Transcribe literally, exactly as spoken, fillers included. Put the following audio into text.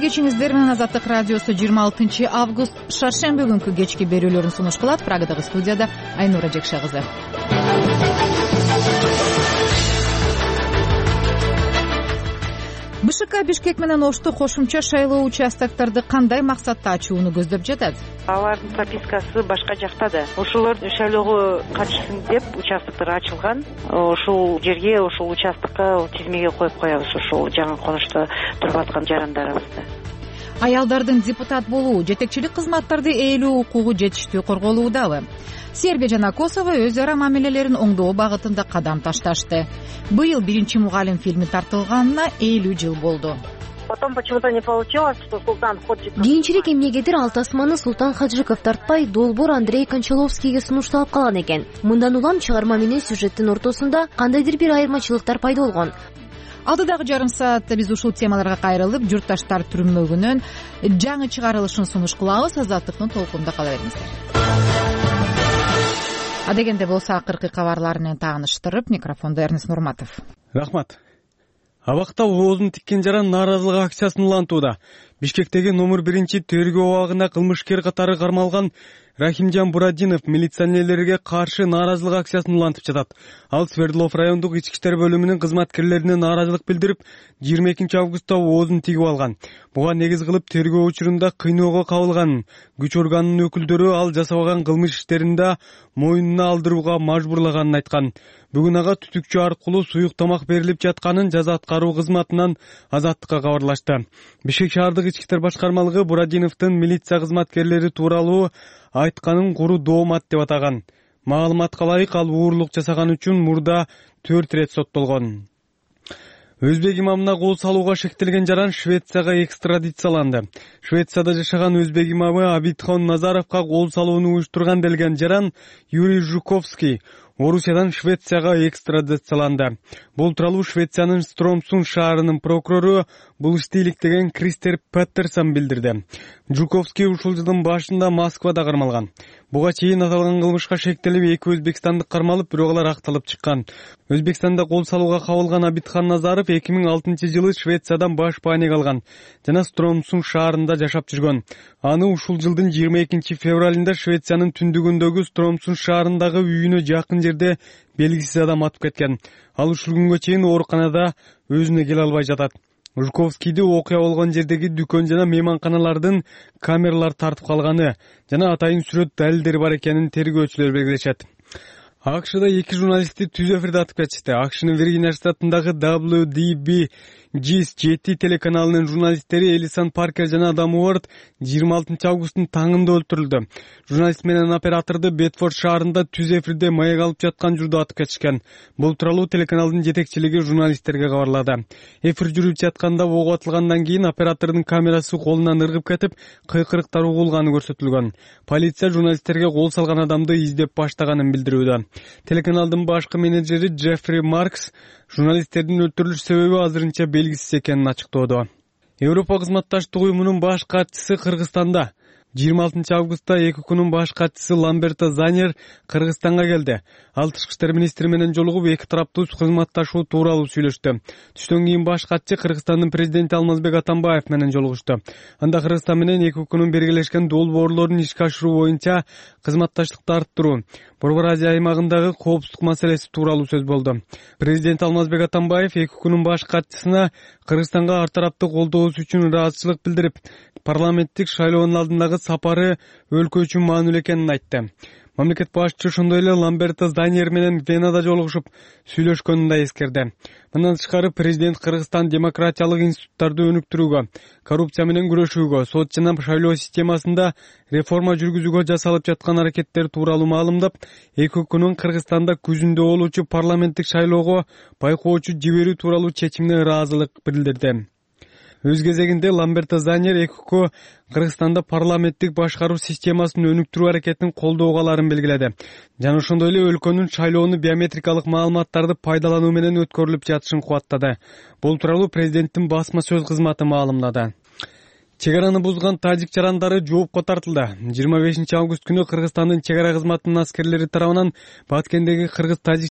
кечиңиздер менен Азаттык радиосу жыйырма алтынчы август шаршемби күнкү кечки берүүлөрүн сунуш кылат. Прагадагы студияда Айнура Жекше кызы. БШК Бишкек менен Ошто кошумча шайлоо участокторду кандай максатта ачууну көздөп жатат? Алардын пропискасы башка жакта да. Ошолор шайлоого катышсын деп участоктор ачылган. Ошол жерге, ошол участокко тизмеге коюп коебуз ошол жаңы конушта туруп аткан жарандарыбызды. Аялдардын депутат болуу, жетекчилик кызматтарды ээлөө укугу жетиштүү корголуудабы? Сербия жана Косово өз ара мамилелерин оңдоо багытында кадам ташташты. Быйыл биринчи мугалим фильми тартылганына элүү жыл болду. Потом почему-то не получилось, что Султан Ходжиков. Кийинчерээк эмнегедир ал тасманы Султан Хаджиков тартпай, долбоор Андрей Кончаловскийге сунушталып калган экен. Мындан улам чыгарма менен сюжеттин ортосунда кандайдыр бир айырмачылыктар пайда болгон. Алдыдагы жарым саатта биз ушул темаларга кайрылып, журтташтар түрмөгүнөн жаңы чыгарылышын сунуш кылабыз. Азаттыктын толкунда кала бериңиздер. Адегенде болсо акыркы кабарлар менен тааныштырып, микрофондо Эрнис Нурматов. Рахмат. Абакта оозун тиккен жаран нааразылык акциясын улантууда. Бишкектеги номер биринчи тергөө абагында кылмышкер катары кармалган Рахимжан Бурадинов милиционерлерге каршы нааразылык акциясын улантып жатат. Ал Свердлов райондук ички иштер бөлүмүнүн кызматкерлерине нааразылык билдирип, жыйырма экинчи августта оозун тигип алган. Буга негиз кылып тергөө учурунда кыйноого кабылган. Күч органынын өкүлдөрү ал жасабаган кылмыш иштеринде моюнуна алдырууга мажбурлаганын айткан. Бүгүн ага түтүкчү аркылуу суюк тамак берилип жатканын жаза аткаруу кызматынан Азаттыкка кабарлашты. Бишкек шаардык ички иштер башкармалыгы Бурадиновдун милиция кызматкерлери тууралуу айтканын куру доомат деп атаган. Маалыматка ылайык, ал уурлук жасаган үчүн мурда төрт ирет соттолгон. Өзбек имамына кол салууга шектелген жаран Швецияга экстрадицияланды. Швецияда жашаган өзбек имамы Абидхон Назаровго кол салууну уюштурган делген жаран Юрий Жуковский Орусиядан Швецияга экстрадицияланды. Бул тууралуу Швециянын Стромсун шаарынын прокурору бул ишти иликтеген Кристер Петтерсон билдирди. Жуковский ушул жылдын башында Москвада кармалган. Буга чейин аталган кылмышка шектелип эки өзбекстандык кармалып, бирок алар акталып чыккан. Өзбекстанда кол салууга кабылган Абидхон Назаров эки миң алтынчы жылы Швециядан баш бааник алган жана Стромсун шаарында жашап жүргөн. Аны ушул жылдын жыйырма экинчи февралында Швециянын түндүгүндөгү Стромсун шаарындагы үйүнө жакын жерде белгисиз адам атып кеткен. Ал ушул күнгө чейин ооруканада өзүнө келе албай жатат. Жуковскийди окуя болгон жердеги дүкөн жана мейманканалардын камералар тартып калганы жана атайын сүрөт далилдери бар экенин тергөөчүлөр белгилешет. АКШда эки журналистти түз эфирде атып кетишти. АКШнын Виргиния штатындагы дабл ю ди би джи жети телеканалынын журналисттери Элисон Паркер жана Адам Уорд жыйырма алтынчы августтун таңында өлтүрүлдү. Журналист менен операторду Бетфорд шаарында түз эфирде маек алып жаткан журда атып кетишкен. Бул тууралуу телеканалдын жетекчилиги журналисттерге кабарлады. Эфир жүрүп жатканда ок атылгандан кийин оператордун камерасы колунан ыргып кетип, кыйкырыктар угулганы көрсөтүлгөн. Полиция журналисттерге кол салган адамды издеп баштаганын билдирүүдө. Телеканалдын башкы менеджери Джеффри Маркс журналисттердин өлтүрүлүш себеби азырынча белгисиз экенин ачыктоодо. Европа кызматташтык уюмунун баш катчысы Кыргызстанда. жыйырма алтынчы августта эки күнүн баш катчысы Ламберто Занер Кыргызстанга келди. Ал тышкы иштер министри менен жолугуп, эки тараптуу кызматташуу тууралуу сүйлөштү. Түштөн кийин баш катчы Кыргызстандын президенти Алмазбек Атамбаев менен жолугушту. Анда Кыргызстан менен эки күнүн биргелешкен долбоорлорун ишке ашыруу боюнча кызматташтыкты арттыруу, Борбор Азия аймагындагы коопсуздук маселеси тууралуу сөз болду. Президент Алмазбек Атамбаев эки күнүн баш катчысына Кыргызстанга ар тараптуу колдоосу үчүн ыраазычылык билдирип, парламенттик шайлоонун алдындагы сапары өлкө үчүн маанилүү экенин айтты. Мамлекет башчысы ошондой эле Ламберто Занер менен Венада жолугушуп сүйлөшкөнүн да эскерди. Мындан тышкары президент Кыргызстан демократиялык институттарды өнүктүрүүгө, коррупция менен күрөшүүгө, сот жана шайлоо системасында реформа жүргүзүүгө жасалып жаткан аракеттер тууралуу маалымдап, эки күнүн Кыргызстанда күзүндө болуучу парламенттик шайлоого байкоочу жиберүү тууралуу чечимине ыраазылык билдирди. Өз кезегинде Ламберто Занер экүкө Кыргызстанда парламенттик башкаруу системасын өнүктүрүү аракетин колдоого аларын белгиледи. Жана ошондой эле өлкөнүн шайлоону биометрикалык маалыматтарды пайдалануу менен өткөрүлүп жатышын кубаттады. Бул тууралуу президенттин басма сөз кызматы маалымдады. Чек араны бузган тажик жарандары жоопко тартылды. жыйырма бешинчи август күнү Кыргызстандын чек ара кызматынын аскерлери тарабынан Баткендеги кыргыз-тажик